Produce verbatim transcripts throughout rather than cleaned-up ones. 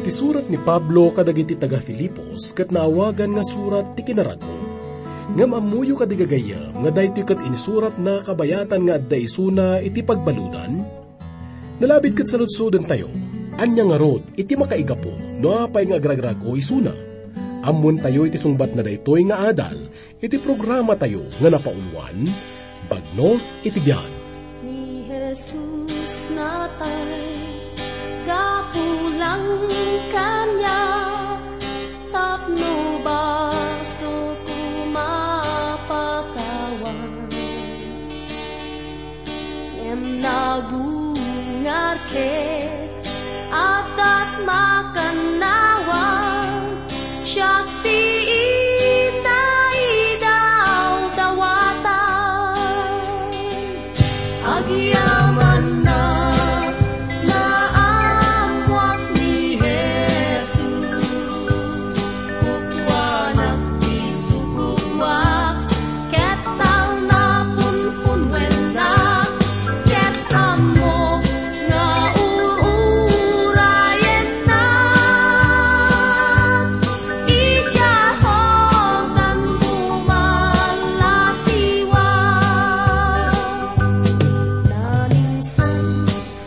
Ti surat ni Pablo kadagiti taga-Filipos ket naawagan nga surat ti kinarag-o. Ngem ammoyo kadi, gagayyem, nga daytoy ket insuratna kabayatan nga adda isuna iti pagbaludan? Nalabit ket saludsodentayo, ania ngarud iti makaigapu no apay nga agrag-o isuna? Ammontayo iti sungbatna daytoy nga adal iti programatayo nga napauluan, Bagnos iti Biag. Ni Jesus natay, gapu lang kaniak, tapno basoko mapakawan. Ngem nagungar ket adda ti makannawan, siak ti inaidawdawatan. Agyamanna, naammoak ni Jesus. Kukuanak ti sukuak, ket talna punpunwennak, ket ammok nga ur-urayennak. Idiay Jordan bumalasiwak. Naminsan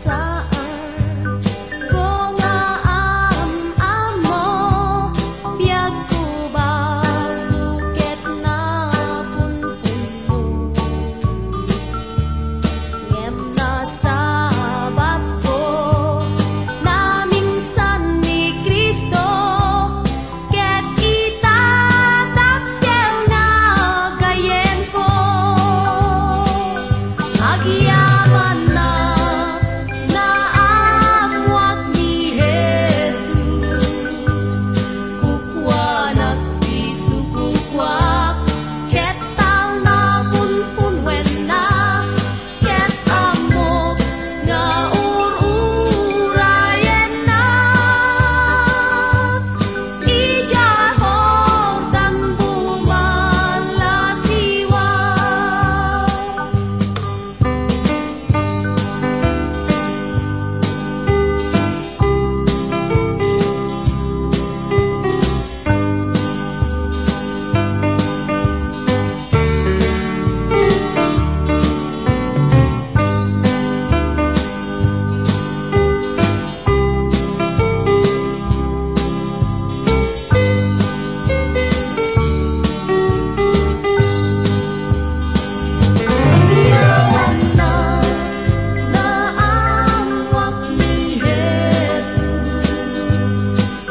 Saan ko nga am-ammo, biagko basol ket napunpunno. Ngem nasabatko, naminsan ni Cristo, ket ita dakkel nga gayyemko. Agyamanna, naammoak ni Jesus. Kukuanak ti sukuak, ket talna punpunwennak, ket ammok nga ur-urayennak. Idiay Jordan bumalasiwak.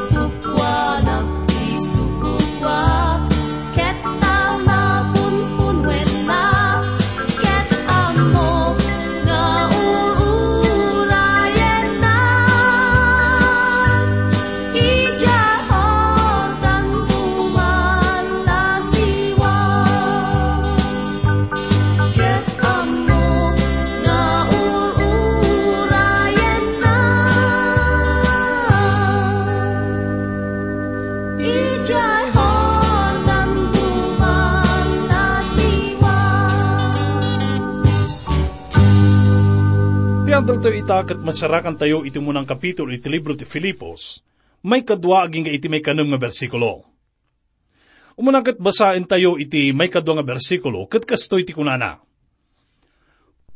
Kukuanak ti sukuak, ket talna punpunwennak, ket ammok nga ur-urayennak. Idiay Jordan bumalasiwak, ket ammok nga ur-urayennak. Idiay Jordan bumalasiwak. Ti adaltayo ita ket masarakantayo iti umunang kapitulo iti libro ti Filipos, maikadua agingga iti maikanem nga bersikulo. Umuna ket basaentayo iti maikadua nga bersikulo, ket kastoy ti kunana,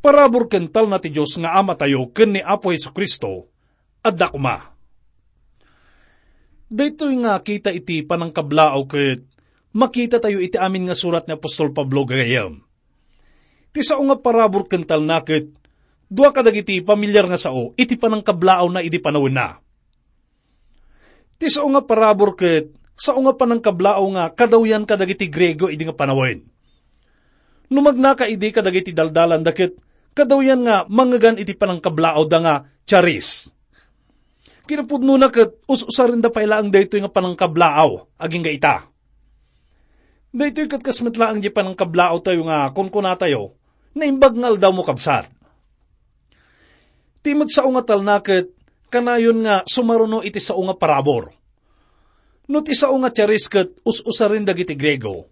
"Parabur ken talna ti Dios nga Amatayo ken ni Apo Jesu-Cristo, adda koma." Daytoy nga kita iti panangkablaaw ket makitatayo iti amin nga surat ni apostol Pablo, gagayyem. Ti sao nga parabur ken talna ket dua kadagiti pamilyar nga sao iti panangkablaawna idi panawenna. Ti sao nga parabur ket sao nga panangkablaaw nga kadawyan kadagiti Griego idi nga panawen. No magnaka idi kadagiti daldalanda ket kadawyan nga mangngegan iti panangkablaawda nga charis. Kinapudnona ket us-usarenda pay laeng daytoy nga panangkablaaw agingga ita. Daytoy ket kas met laeng diay panangkablaawtayo nga kunkunatayo, "Naimbag nga aldawmo, kabsat." Ti met sao nga talna ket kanayon nga sumaruno iti sao nga parabur. No ti sao nga charis ket us-usaren dagiti Griego,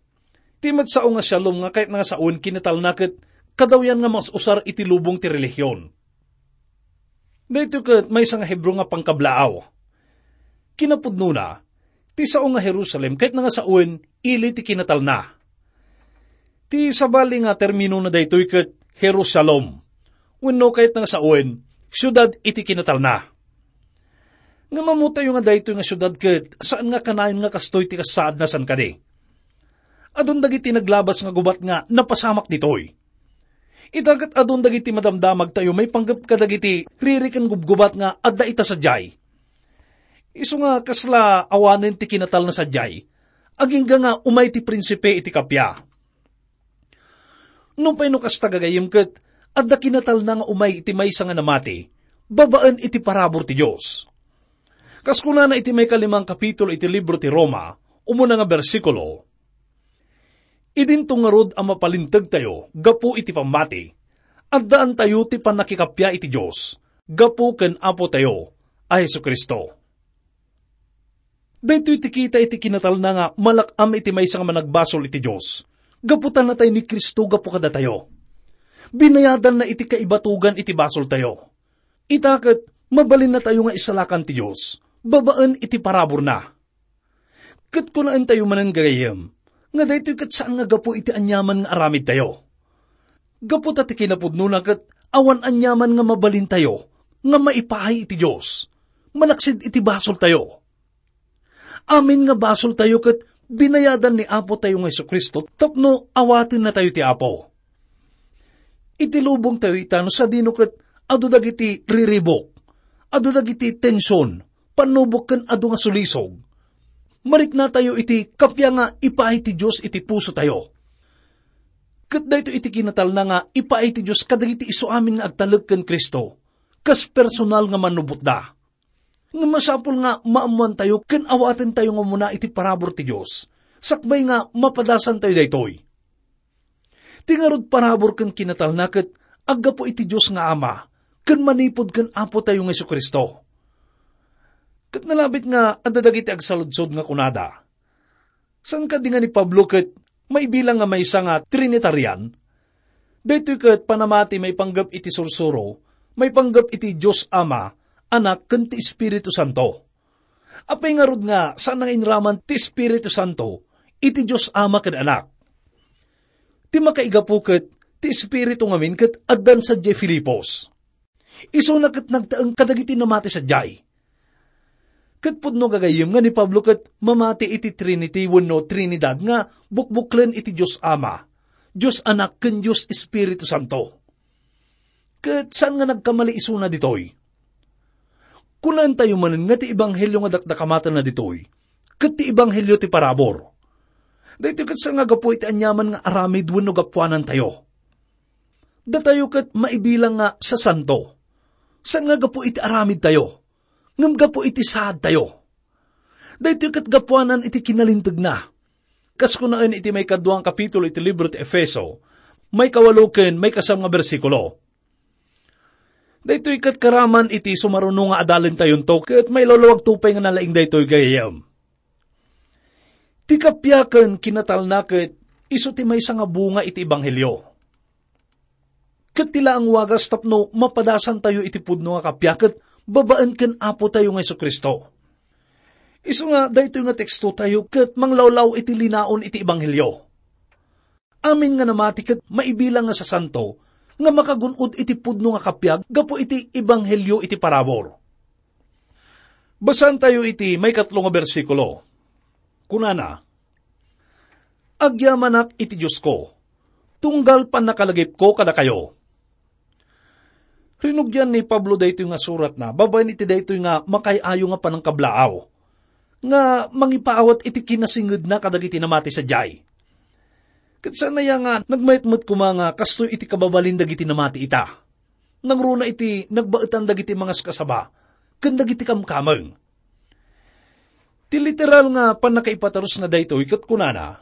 ti met sao nga shalom nga kayatna nga sawen ken ni talna ket kadawyan nga mas-usar iti lubong ti relihion. Daytoy ket maysa nga Hebreo nga pangkablaaw. Kinapudnona, ti sao nga Jerusalem ket nga sawen ili ti kinatalna. Ti sabali nga terminona daytoy ket Jerusalem, wenno ket nga sawen, siudad iti kinatalna. Ngem ammotayo nga daytoy nga siudad ket saan nga kanayon nga kastoy ti kasaadna, saan kadi? Adun dagiti naglabas nga gubat nga napasamak ditoy. Ita ket adun dagiti madamdamagtayo maipanggep kadagiti riri ken gubgubat nga adda ita sadiay. Isu nga kasla awanen ti kinatalna sadiay, agingga nga umay ti prinsipe iti kappia. Nupay no kasta, gagayyem, ket adda kinatalna nga umay iti maysa nga namati babaen iti parabur ti Dios. Kas kunana iti maikalimang kapitulo iti libro ti Roma, umuna nga bersikulo, "Idinto ngarud a mapalintegtayo gapu iti pammati, addaantayo ti pannakikappia iti Dios gapu ken Apotayo a Jesu-Cristo." Daytoy ti kita iti kinatalna nga malak-am iti maysa nga managbasol iti Dios, gapu ta natay ni Cristo gapu kadatayo. Binayadanna iti kaibatogan iti basoltayo. Ita ket, mabalinnatayo nga isalakan ti Dios babaen iti paraburna. Ket kunaentayo manen, gagayyem, nga daytoy ket saan nga gapu iti aniaman nga aramidtayo. Gapu ta ti kinapudnona ket awan aniaman nga mabalintayo nga maipaay iti Dios, malaksid iti basoltayo. Amin nga basoltayo ket binayadan ni Apotayo nga Jesu-Cristo tapno awatennatayo ti Apo. Iti lubongtayo ita no sadino ket adu dagiti riribuk, adu dagiti tension, pannubok ken adu nga sulisog. Mariknatayo iti kappia nga ipaay ti Dios iti pusotayo. Ket daytoy iti kinatalna nga ipaay ti Dios kadagiti isu amin nga agtalek ken Cristo, kas personal nga mannubotda. Ngem masapul nga maammoantayo ken awatentayo nga umuna iti parabur ti Dios, sakbay nga mapadasantayo daytoy. Ti ngarud parabur ken kinatalna ket aggapu iti Dios nga Ama ken manipud ken Apotayo nga Jesu-Cristo. Ket nalabit nga adda dagiti agsaludsod nga kunada, "Saan kadi nga ni Pablo ket maibilang nga maysa nga Trinitarian? Daytoy ket panamati maipanggep iti sursuro, maipanggep iti Dios Ama, Anak, ken ti Espiritu Santo. Apay ngarud nga saan nga inraman ti Espiritu Santo iti Dios Ama ken Anak? Ti makaigapu ket ti Espiritu ngamin ket addan sadiay Filipos. Isuna ket nagtaeng kadagiti namati sadiay." Ket pudno, gagayyem, nga ni Pablo ket mamati iti Trinity wenno Trinidad nga bukbuklen iti Dios Ama, Dios Anak, ken Dios Espiritu Santo. Ket saan nga nagkamali isuna ditoy. Kunaentayo manen nga ti ebanghelio nga dakdakamatenna ditoy ket ti ebanghelio ti parabur. Daytoy ket saan nga gapu iti aniaman nga aramid wenno gapuanantayo. Datayo ket maibilang nga sasanto, saan nga gapu iti aramidtayo, ngem gapu iti saadtayo. Daytoy ket gapuanan iti kinalintegna. Kas kunaen iti maikadua nga kapitulo iti libro ti Efeso, maikawalo ken maikasam nga bersikulo. Daytoy ket karaman iti sumaruno nga adalentayonto ket mailawlawagto pay nga nalaing daytoy, gagayyem. Ti kappia ken kinatalna ket isu ti maysa nga bunga iti ebanghelio. Ket ti laeng wagas tapno mapadasantayo iti pudno nga kappia ket babaen ken Apotayo nga Jesu-Cristo. Isu nga daytoy nga tekstotayo ket manglawlaw iti linaon iti ebanghelio. Amin nga namati ket maibilang nga sasanto nga makagun-od iti pudno nga kappia gapu iti ebanghelio iti parabur. Basaantayo iti maikatlo nga bersikulo. Kunana, "Agyamanak iti Diosko, tunggal pannakalagipko kadakayo." Rinugian ni Pablo daytoy nga suratna babaen iti daytoy nga makaay-ayo nga panangkablaaw nga mangipaawat iti kinasingedna kadagiti namati sadiay. Ket saan aya nga nagmayat met koma nga kastoy iti kababalin dagiti namati ita? Nangruna iti nagbaetan dagiti mangaskasaba ken dagiti kamkameng. Ti literal nga pannakaipatarusna daytoy ket kunana,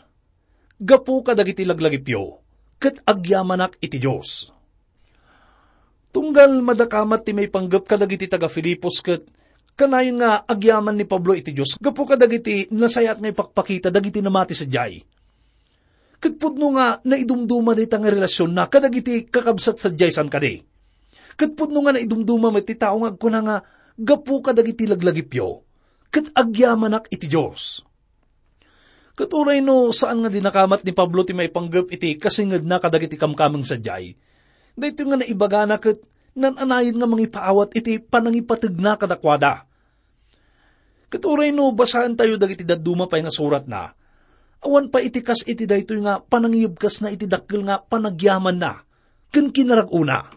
"Gapu kadagiti laglagipyo, ket agyamanak iti Dios." Tunggal madakamat ti maipanggep kadagiti taga-Filipos ket kanayon nga agyaman ni Pablo iti Dios gapu kadagiti nasayaat nga ipakpakita dagiti namati sadiay. Ket pudno nga naidumduma dayta nga relasionna kadagiti kakabsat sadiay, saan kadi? Ket pudno nga naidumduma met ti tao nga agkuna nga gapu kadagiti laglagipyo, ket agyamanak iti Dios. Ket uray no saan nga dinakamat ni Pablo ti maipanggep iti kasingedna kadagiti kamkameng sadiay, daytoy nga naibagana ket nan-anayon nga mangipaawat iti panangipategna kadakuada. Ket uray no basaentayo dagiti dadduma pay nga suratna, awan pay iti kas iti daytoy nga panangiyebkasna iti dakkel nga panagyamanna ken kinarag-ona.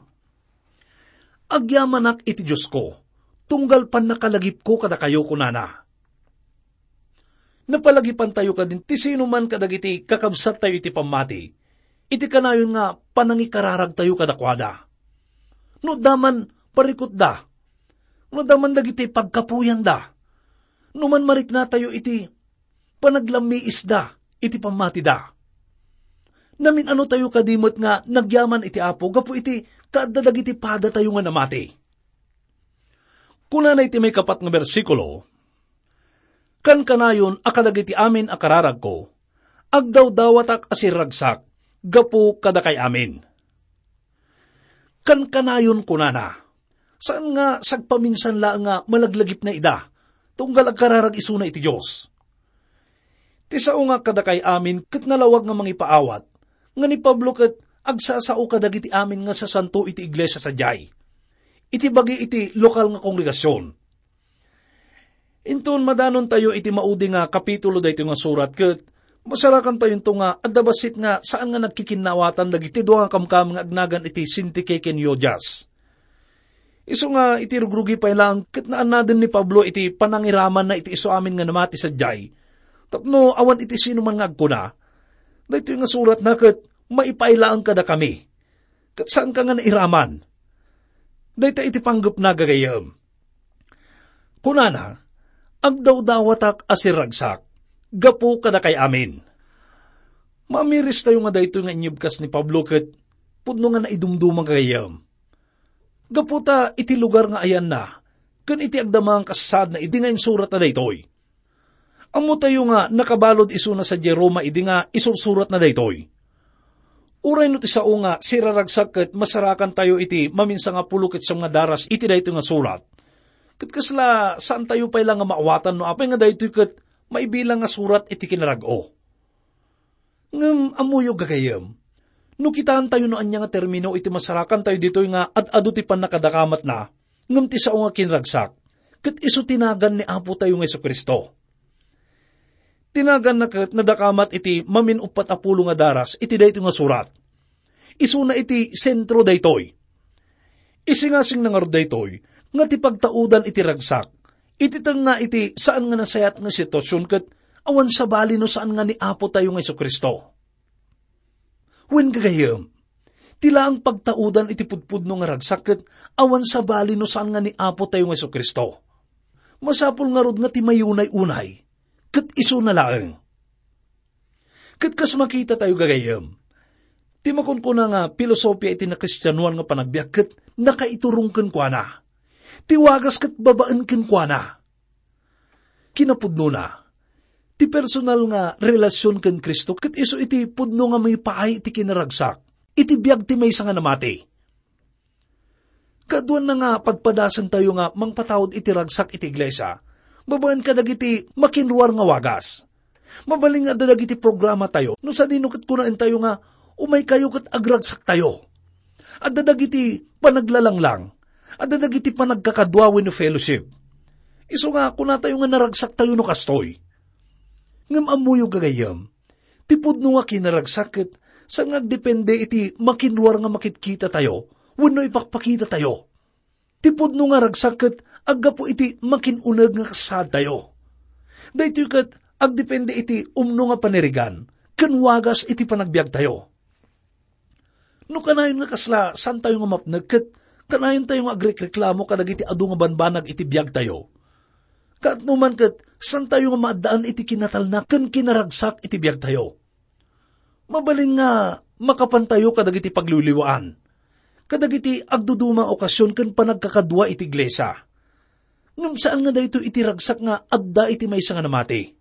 "Agyamanak iti Diosko, tunggal pannakalagipko kadakayo," kunana. Napalagipantayo kadin ti sinuman kadagiti kakabsattayo iti pammati, iti kanayon nga panangikararagtayo kadakuada. No adda man parikutda, no adda man dagiti pagkapuyanda, no man mariknatayo iti panaglammiisda iti pammatida. Namin-anotayo kadi met nga nagyaman iti Apo gapu iti kaadda dagiti padatayo nga namati. Kunana iti maikapat nga bersikulo, "Kankanayon a kadagiti amin a kararagko, agdawdawatak a sirragsak gapu kadakay amin." Kankanayon kunana, saan nga sagpaminsan laeng nga malaglagipna ida, tunggal agkararag isuna iti Dios. Ti sao nga kadakay amin ket nalawag nga mangipaawat, nga ni Pablo ket agsasao kadagiti amin nga sasanto iti iglesia sadiay, iti bagi iti lokal nga kongregasion. Inton madanontayo iti maudi nga kapitulo daytoy nga surat, ket masarakantayonto nga adda bassit nga saan nga nagkikinnawatan dagiti dua nga kamkameng nga agnagan iti Sintike ken Jodias. Isu nga iti rugrugi pay laeng ket naannaden ni Pablo iti panangiramanna iti isu amin nga namati sadiay, tapno awan iti sinuman nga agkuna, "Daytoy nga suratna ket maipaay laeng kadakami, ket saanka nga nairaman." Dayta iti panggepna, gagayyem. Kunana, "Agdawdawatak a sirragsak gapu kadakay amin." Maamiristayo nga daytoy nga inyebkas ni Pablo ket pudno nga naidumduma, gagayyem. Gapu ta iti lugar nga ayanna ken iti agdama nga kasasaadna idi nga insuratna daytoy. Ammotayo nga nakabalud isuna sadiay Roma idi nga isursuratna daytoy. Uray no ti sao nga siraragsak ket masarakantayo iti maminsangapulo ket siam nga daras iti daytoy nga surat, ket kasla saantayo pay la nga maawatan no apay nga daytoy ket maibilang nga surat iti kinarag-o. Ngem ammoyo, gagayyem, no kitaentayo no ania nga termino iti masarakantayo ditoy nga ad-adu ti pannakadakamatna, ngem ti sao nga kinragsak, ket isu ti nagan ni Apotayo nga Jesu-Cristo. Ti naganna ket nadakamat iti mamin-uppat a pulo nga daras iti daytoy nga surat. Isuna iti sentro daytoy. Isingasingna ngarud daytoy nga ti pagtaudan iti ragsak, iti tengnga iti saan nga nasayaat nga situasion ket awan sabali no saan nga ni Apotayo nga Jesu-Cristo. Wen, gagayyem, ti laeng pagtaudan iti pudpudno nga ragsak ket awan sabali no saan nga ni Apotayo nga Jesu-Cristo. Masapul ngarud nga ti mayunay-unay ket isuna laeng. Ket kas makitatayo, gagayyem, ti makunkuna nga pilosopia iti nakristianoan nga panagbiag ket nakaiturong kenkuana. Ti wagas ket babaen kenkuana. Kinapudnona, ti personal nga relasion ken Cristo ket isu iti pudno nga mangipaay iti kinaragsak iti biag ti maysa nga namati. Kaaduanna nga padpadasentayo nga mangpataud iti ragsak iti iglesia babaen kadagiti makinruar nga wagas. Mabalin nga adda dagiti programatayo no sadino ket kunaentayo nga, "Umaykayo ket agragsaktayo." Adda dagiti panaglalanglang, adda dagiti panagkakadua wenno fellowship. Isu nga kunatayo nga naragsaktayo no kastoy. Ngem ammoyo, gagayyem, ti pudno nga kinaragsak ket saan nga agdepende iti makinruar nga makitkitatayo wenno ipakpakitatayo. Ti pudno nga ragsak ket aggapu iti makin-uneg nga kasaadtayo. Daytoy ket agdepende iti umno nga panirigan ken wagas iti panagbiagtayo. No kanayon nga kasla saantayo nga mapnek ket kanayontayo nga agrekreklamo kadagiti adu nga banbanag iti biagtayo, kaano man ket saantayo nga maaddaan iti kinatalna ken kinaragsak iti biagtayo. Mabalin nga makapantayo kadagiti pagliwliwaan, kadagiti agduduma nga okasion ken panagkakadua iti iglesia. Ngem saan nga daytoy iti ragsak nga adda iti maysa nga namati.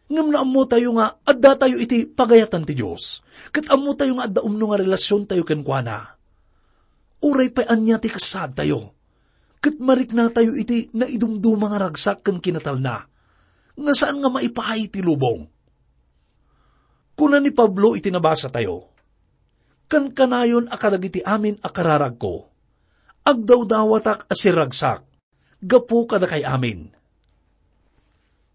Ngem naammotayo nga addatayo iti pagayatan ti Dios, ket ammotayo nga adda umno nga relasiontayo kenkuana. Uray pay ania ti kasaadtayo, ket mariknatayo iti naidumduma nga ragsak ken kinatalna, nga saan nga maipaay ti lubong. Kuna ni Pablo iti nabasatayo, "Kankanayon a kadagiti amin a kararagko, agdawdawatak a sirragsak gapu kadakay amin."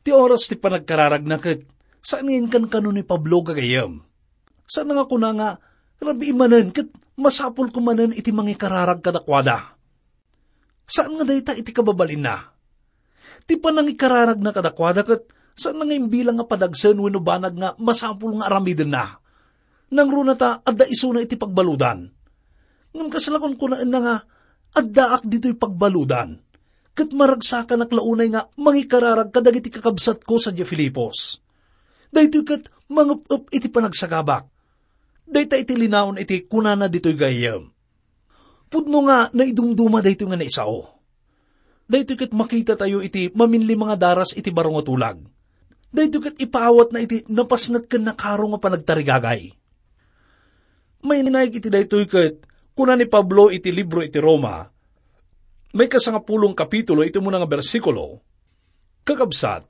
Ti oras ti panagkararagna ket saan nga inkankano ni Pablo, gagayyem. Saan nga kuna nga, "Rabii manen ket masapulko manen iti mangikararag kadakuada." Saan nga dayta iti kababalinna. Ti panangikararagna kadakuada ket saan nga imbilang nga padagsen wenno banag nga masapul nga aramidenna. Nangruna ta adda isuna iti pagbaludan. Ngem kasla kunkunaenna nga, "Addaak ditoy pagbaludan, ket maragsakanak la unay nga mangikararag kadagiti kakabsatko sadiay Filipos. Daytoy ket mangep-ep iti panagsagabak." Dayta iti linaon iti kunana ditoy gayyem. Pudno nga naidumduma daytoy nga naisao. Daytoy ket makitatayo iti maminlima nga daras iti baro nga tulag. Daytoy ket ipaawatna iti napasnek ken nakaro nga panagtarigagay. Mainaig iti daytoy ket kuna ni Pablo iti libro iti Roma, maikasangapulong kapitulo iti umuna nga bersikulo, "Kakabsat,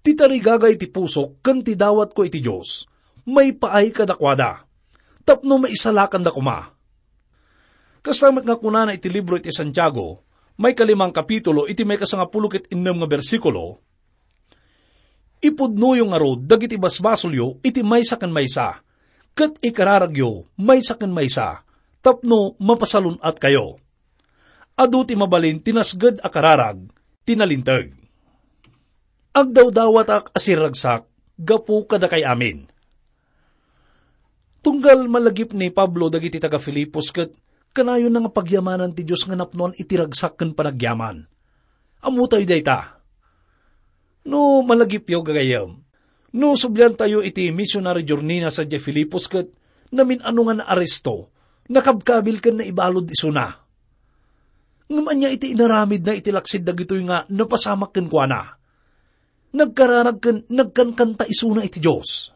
ti tarigagay ti pusok ken ti dawatko iti Dios, maipaay kadakuada, tapno maisalakanda koma." Kasta met nga kunana iti libro iti Santiago, maikalimang kapitulo iti maikasangapulo ket innem nga bersikulo, "Ipudnoyo ngarud dagiti basbasolyo iti maysa ken maysa, ket ikararagyo maysa ken maysa, tapno mapasalun-atkayo. Adu ti mabalin ti nasged a kararag ti nalinteg." Agdawdawatak a sirragsak gapu kadakay amin. Tunggal malagip ni Pablo dagiti taga-Filipos ket kanayonna nga pagyamanan ti Dios nga napnoan iti ragsak ken panagyaman. Ammotayo dayta. No malagipyo, gagayyem, no subliantayo iti missionary journey-na sadiay Filipos ket namin-ano nga naaresto, nakabkabil ken naibalud isuna. Ngem ania iti inaramidna iti laksid dagitoy nga napasamak kenkuana? Nagkararag ken nagkankanta isuna iti Dios.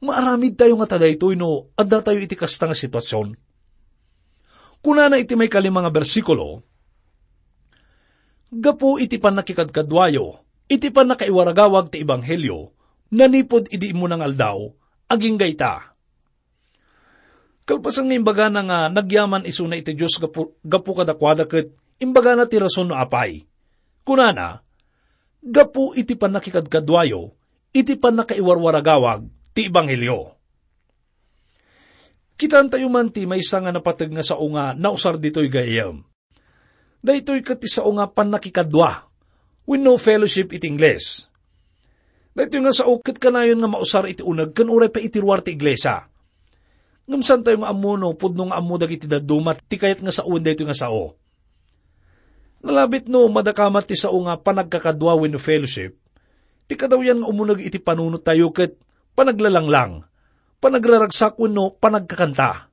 Maaramidtayo ngata daytoy no addatayo iti kasta nga situasion. Kunana iti maikalima nga bersikulo, "Gapu iti pannakikadkaduayo, iti pannakaiwaragawag ti ebanghelio, nanipud idi immuna nga aldaw, agingga ita." Kalpasan nga imbagana nga nagyaman isuna iti Dios gapu, gapu kadakuada ket imbagana ti rason no apay. Kunana, "Gapu iti pannakikadkaduayo, iti pannakaiwarwaragawag ti ebanghelio." Kitaentayo man ti maysa nga napateg nga sao nga nausar ditoy gayyem. Daytoy ket ti sao nga pannakikadua, wenno fellowship iti Ingles. Daytoy nga sao ket kanayon nga mausar iti uneg ken uray pay iti ruar ti iglesia. Ngem saantayo nga ammo no pudno nga ammo dagiti dadduma ti kayat nga sawen daytoy nga sao. Nalabit no madakamat ti sao nga panagkakadua wenno fellowship, ti kadawyan nga umuneg iti panunottayo ket panaglalanglang, panagraragsak wenno panagkakanta.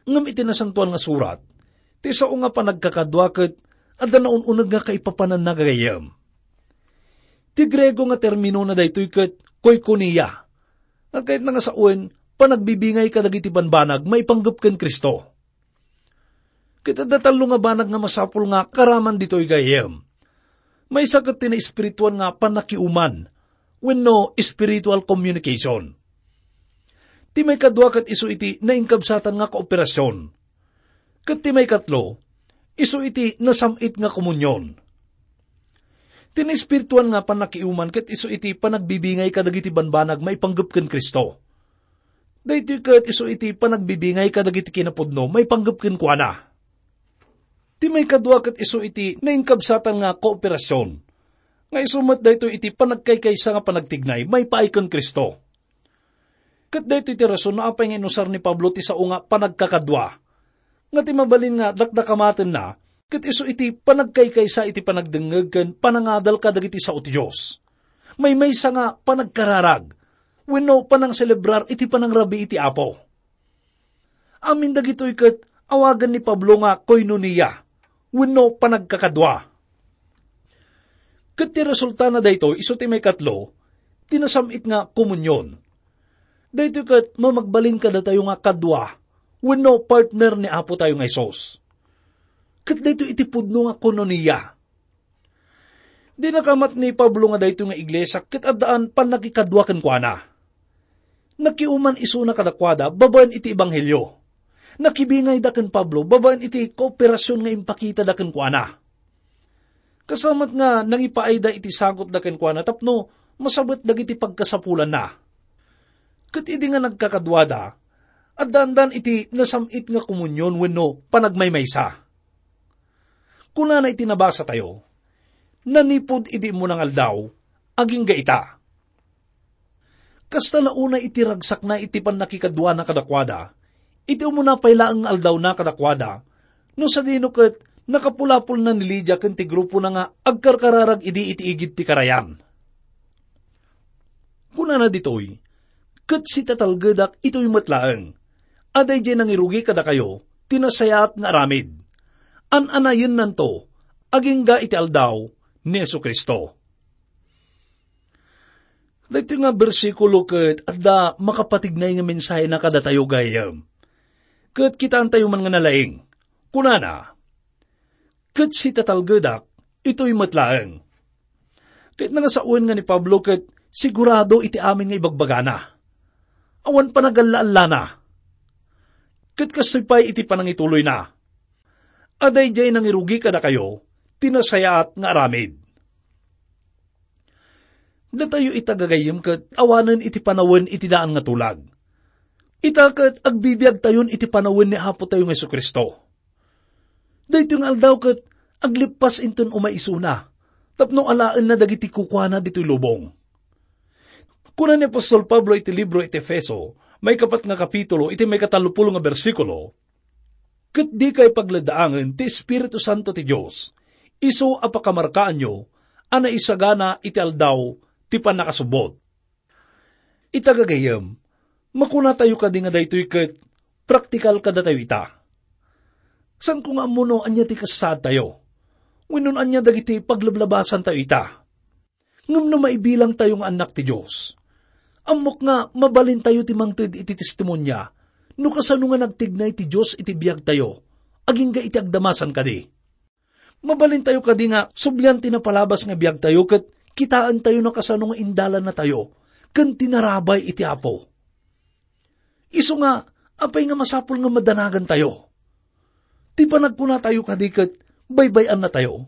Ngem iti Nasantoan nga Surat, ti sao nga panagkakadua ket adda naun-uneg nga kaipapananna gagayyem. Ti Griego nga terminona daytoy ket koikonia, nga kayatna nga sawen, panagbibingay kadagiti banbanag maipanggep ken Cristo. Ket adda tallo nga banag nga masapul nga karaman ditoy gayyem. Maysa ket ti naespirituan nga pannakiuman wenno spiritual communication. Ti maikadua ket isu iti nainkabsatan nga kooperasyon. Ket ti maikatlo, isu iti nasam-it nga komunion. Ti naespirituan nga pannakiuman ket isu iti panagbibingay kadagiti banbanag maipanggep ken Cristo. Daytoy ket isu iti panagbibingay kadagiti kinapudno maipanggep kenkuana. Ti maikadua ket isu iti nainkabsatan nga kooperasyon, nga isu met daytoy iti panagkaykaysa nga panagtignay maipaay ken Cristo. Ket daytoy ti rason no apay nga inusar ni Pablo ti sao nga panagkakadua, nga ti mabalin nga dakdakamatenna ket isu iti panagkaykaysa iti panagdengngeg ken panangadal kadagiti sao ti Dios. Maymaysa nga panagkararag wenno panangselebrar iti panangrabii iti Apo. Amin dagitoy ket awagan ni Pablo nga koinonia wenno panagkakadua. Ket ti resultana daytoy isu ti maikatlo, ti nasam-it nga komunion. Daytoy ket mamagbalin kadatayo nga kadua wenno partner ni Apotayo nga Jesus. ket daytoy iti pudno nga koinonia. Dinakamat ni Pablo nga daytoy nga iglesia ket addaan pannakikadua kenkuana. Nakiuman isuna kadakuada babaen iti ebanghelio. Nakibingayda ken Pablo babaen iti kooperasion nga impakitada kenkuana. Kasamat nga nangipaayda iti sagutda kenkuana tapno masabet dagiti pagkasapulanna. Ket idi nga nagkakaduada, addaandan iti nasam-it nga komunion wenno panagmaymaysa. Kunana iti nabasatayo, "Nanipud idi immuna nga aldaw, agingga ita." Kasta la unay iti ragsakna iti pannakikaduana kadakuada, iti umuna pay laeng nga aldawna kadakuada, no sadino ket nakapulapolna ni Lydia ken ti grupona nga agkarkararag idi iti igid ti karayan. Kunana ditoy, "Ket sitatalgedak itoy met laeng, a daydiay nangirugi kadakayo ti nasayaat nga aramid. An-anayennanto agingga iti aldaw ni Jesu-Cristo." Daytoy nga bersikulo ket adda makapatignay nga mensahena kadatayo, gayyem. Ket kitaentayo man nga nalaing. Kunana, "Ket sitatalgedak, itoy met laeng." Ket nangasawen nga ni Pablo ket sigurado iti amin nga ibagbagana. Awan panagalla-allana. Ket kastoy pay iti panangituloyna, "A daydiay nangirugi kadakayo ti nasayaat nga aramid." Datayo ita, gagayyem, ket awanen iti panawen iti daan nga tulag. Ita ket agbibiagtayon iti panawen ni Apotayo nga Jesu-Cristo. Daytoy nga aldaw ket aglippas inton umay isuna, tapno alaenna dagiti kukuana ditoy lubong. Kuna ni apostol Pablo iti libro iti Efeso, maikapat nga kapitulo, iti maikatallopulo nga bersikulo, "Ket dikay pagleddaangen ti Espiritu Santo ti Dios, isu a pakamarkaanyo a naisagana iti aldaw ti pannakasubbot." Ita, gagayyem, makunatayo kadi nga daytoy ket praktikal kadatayo ita? Saanko nga ammo no ania ti kasaadtayo, wenno no ania dagiti paglablabasantayo ita. Ngem no maibilangtayo nga annak ti Dios, ammok nga mabalintayo ti mangted iti testimonia no kasano nga nagtignay ti Dios iti biagtayo agingga iti agdamasan kadi. Mabalintayo kadi nga sublian ti napalabas nga biagtayo ket kitaentayo no kasano nga indalannatayo ken ti narabay iti Apo. Isu nga, apay nga masapul nga madanagantayo? Ti panagkunatayo kadi ket baybay-annatayo?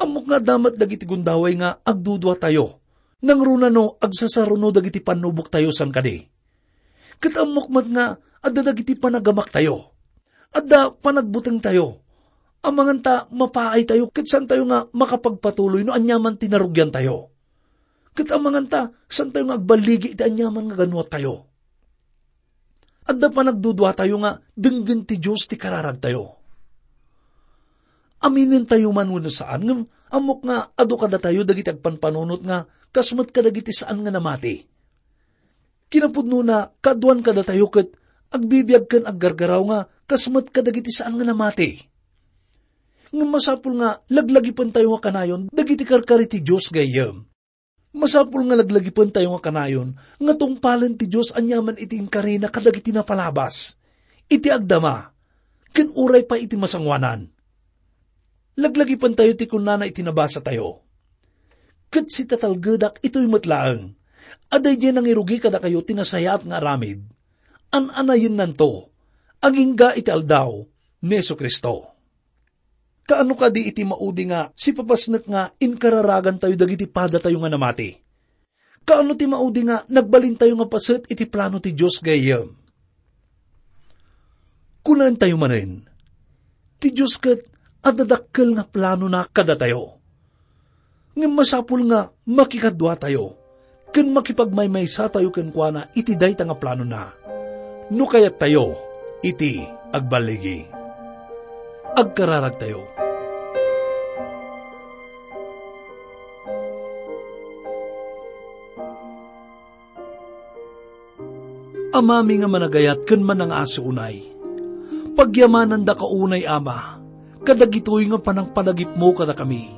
Ammok nga adda met dagiti gundaway nga agduduatayo, nangruna no agsasaruno dagiti pannuboktayo, saan kadi? Ket ammok met nga adda dagiti panagamaktayo. Adda panagbutengtayo. Amangan ta mapaaytayo ket saantayo nga makapagpatuloy no aniaman ti narugiantayo. Ket amangan ta saantayo nga agballigi iti aniaman nga ganuattayo. Adda panagduduatayo nga denggen ti Dios ti kararagtayo. Aminentayo man wenno saan, ngem ammok nga adu kadatayo dagiti agpanpanunot nga kas met kadagiti saan nga namati. Kinapudnona, kaaduan kadatayo ket agbibiag ken aggargaraw nga kas met kadagiti saan nga namati. Ngem masapul nga laglagipentayo nga kanayon dagiti karkari ti Dios, gayyem. Masapul nga laglagipentayo nga kanayon nga tungpalen ti Dios aniaman iti inkarina kadagiti napalabas, iti agdama, ken uray pay iti masangoanan. Laglagipentayo ti kunana iti nabasatayo, "Ket sitatalgedak itoy met laeng, a daydiay nangirugi kadakayo ti nasayaat nga aramid, an-anayennanto, agingga iti aldaw ni Jesu-Cristo." Kaano kadi iti maudi nga sipapasnek nga inkararagantayo dagiti padatayo nga namati? Kaano ti maudi nga nagbalintayo nga paset iti plano ti Dios, gayyem? Kunaentayo manen, ti Dios ket adda dakkel nga planona kadatayo. Ngem masapul nga makikaduatayo ken makipagmaymaysatayo kenkuana iti dayta nga planona, no kayattayo iti agballigi. Agkararagtayo. Amami nga managayat ken manangaasi unay, pagyamanandaka unay, Ama, kadagitoy nga panangpanagipmo kadakami.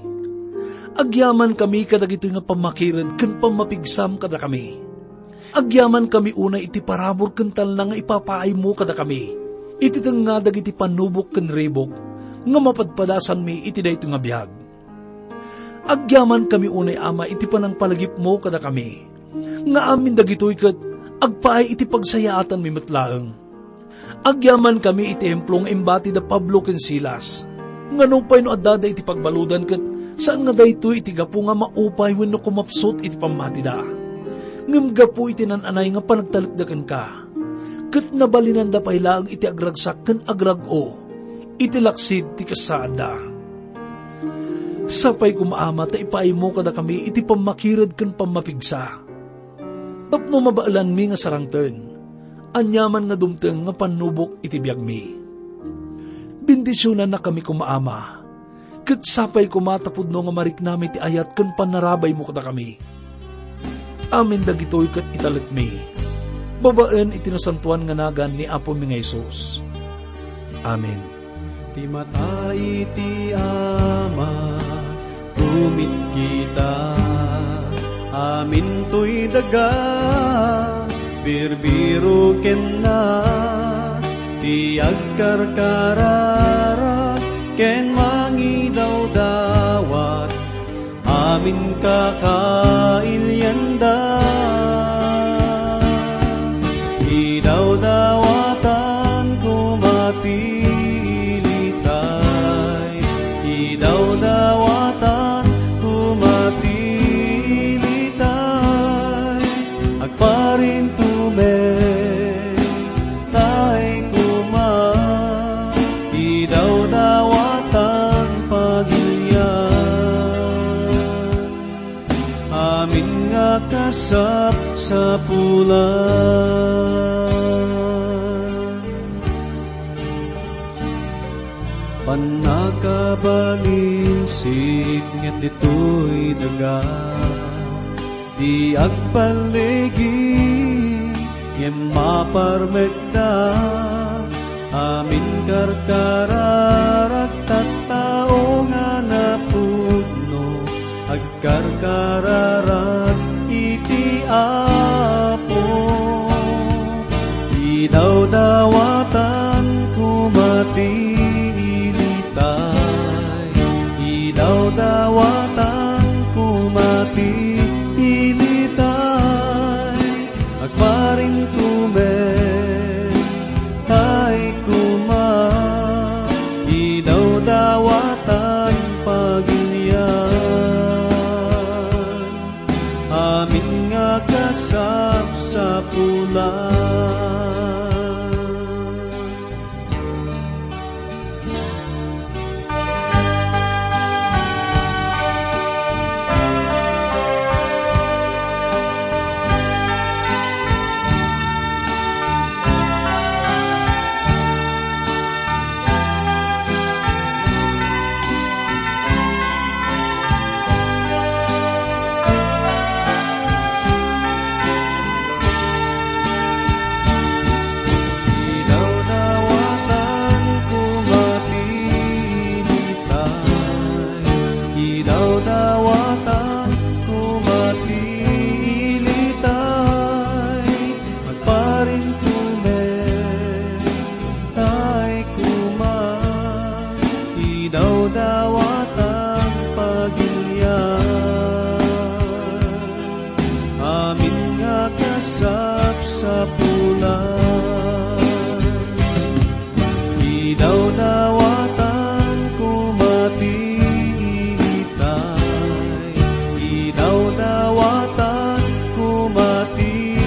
Agyamankami kadagitoy nga pammakired ken pammapigsam kadakami. Agyamankami unay iti parabur ken talna nga ipapaaymo kadakami. Iti tengnga dagiti pannubok ken ribok, nga mapadpadasanmi iti daytoy nga biag. Agyamankami unay, Ama, iti panangpalagipmo kadakami, nga amin dagitoy ket agpaay iti pagsayaatanmi met laeng. Agyamankami iti ehemplo nga imbati da Pablo ken Silas, nga nupay no addada iti pagbaludan ket saan nga daytoy iti gapu nga maupay wenno kumapsut iti pammatida, ngem gapu iti nan-anay nga panagtalekda kenka, ket nabalinanda pay laeng iti agragsak ken agrag-o iti laksid ti kasaadda. Sapay koma, Ama, ta ipaaymo kadakami iti pammakired ken pammapigsa, tapno mabaelanmi nga sarangten aniaman nga dumteng nga pannubok iti biagmi. Bendisionannakami koma, Ama, ket sapay koma ta pudno nga mariknami ti ayat ken pannarabaymo kadakami. Amin dagitoy ket italekmi babaen iti nasantoan nga nagan ni Apomi nga Jesus. Amen. Ti mata iti Ama, tumitkita. Amintoy daga, birbiro kenna, ti agkarkararag ken mangidawdawat, amin kakailianda. Idawdawatan koma ti ilitay, idawdawatan koma ti ilitay, agparintumen tay koma, idawdawatan pagilian, amin nga kasapsapulan. Pannakabalinsit ngem ditoy daga, ti agballigi ngem maparmekda, amin karkararag tattao nga napudno, agkarkararag iti Apo. Idawdawatan koma ti ilitay, idawdawatan koma ti ilitay, agparintumen tay koma, idawdawatan pagilian, amin nga kasapsapulan. Idawdawatan koma ti ilitay, idawdawatan koma ti ilitay, agparintumen tay koma, idawdawatan pagilian, amin nga kasapsapulan. Idawdawatan koma ti ilitay, idawdawatan koma ti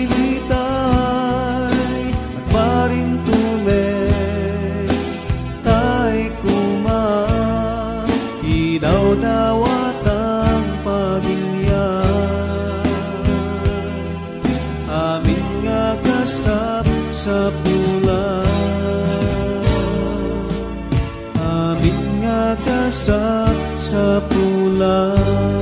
ilitay, agparintumen tay koma, idawdawatan pagilian, amin nga kasapsapulan, amin nga kasapsapulan.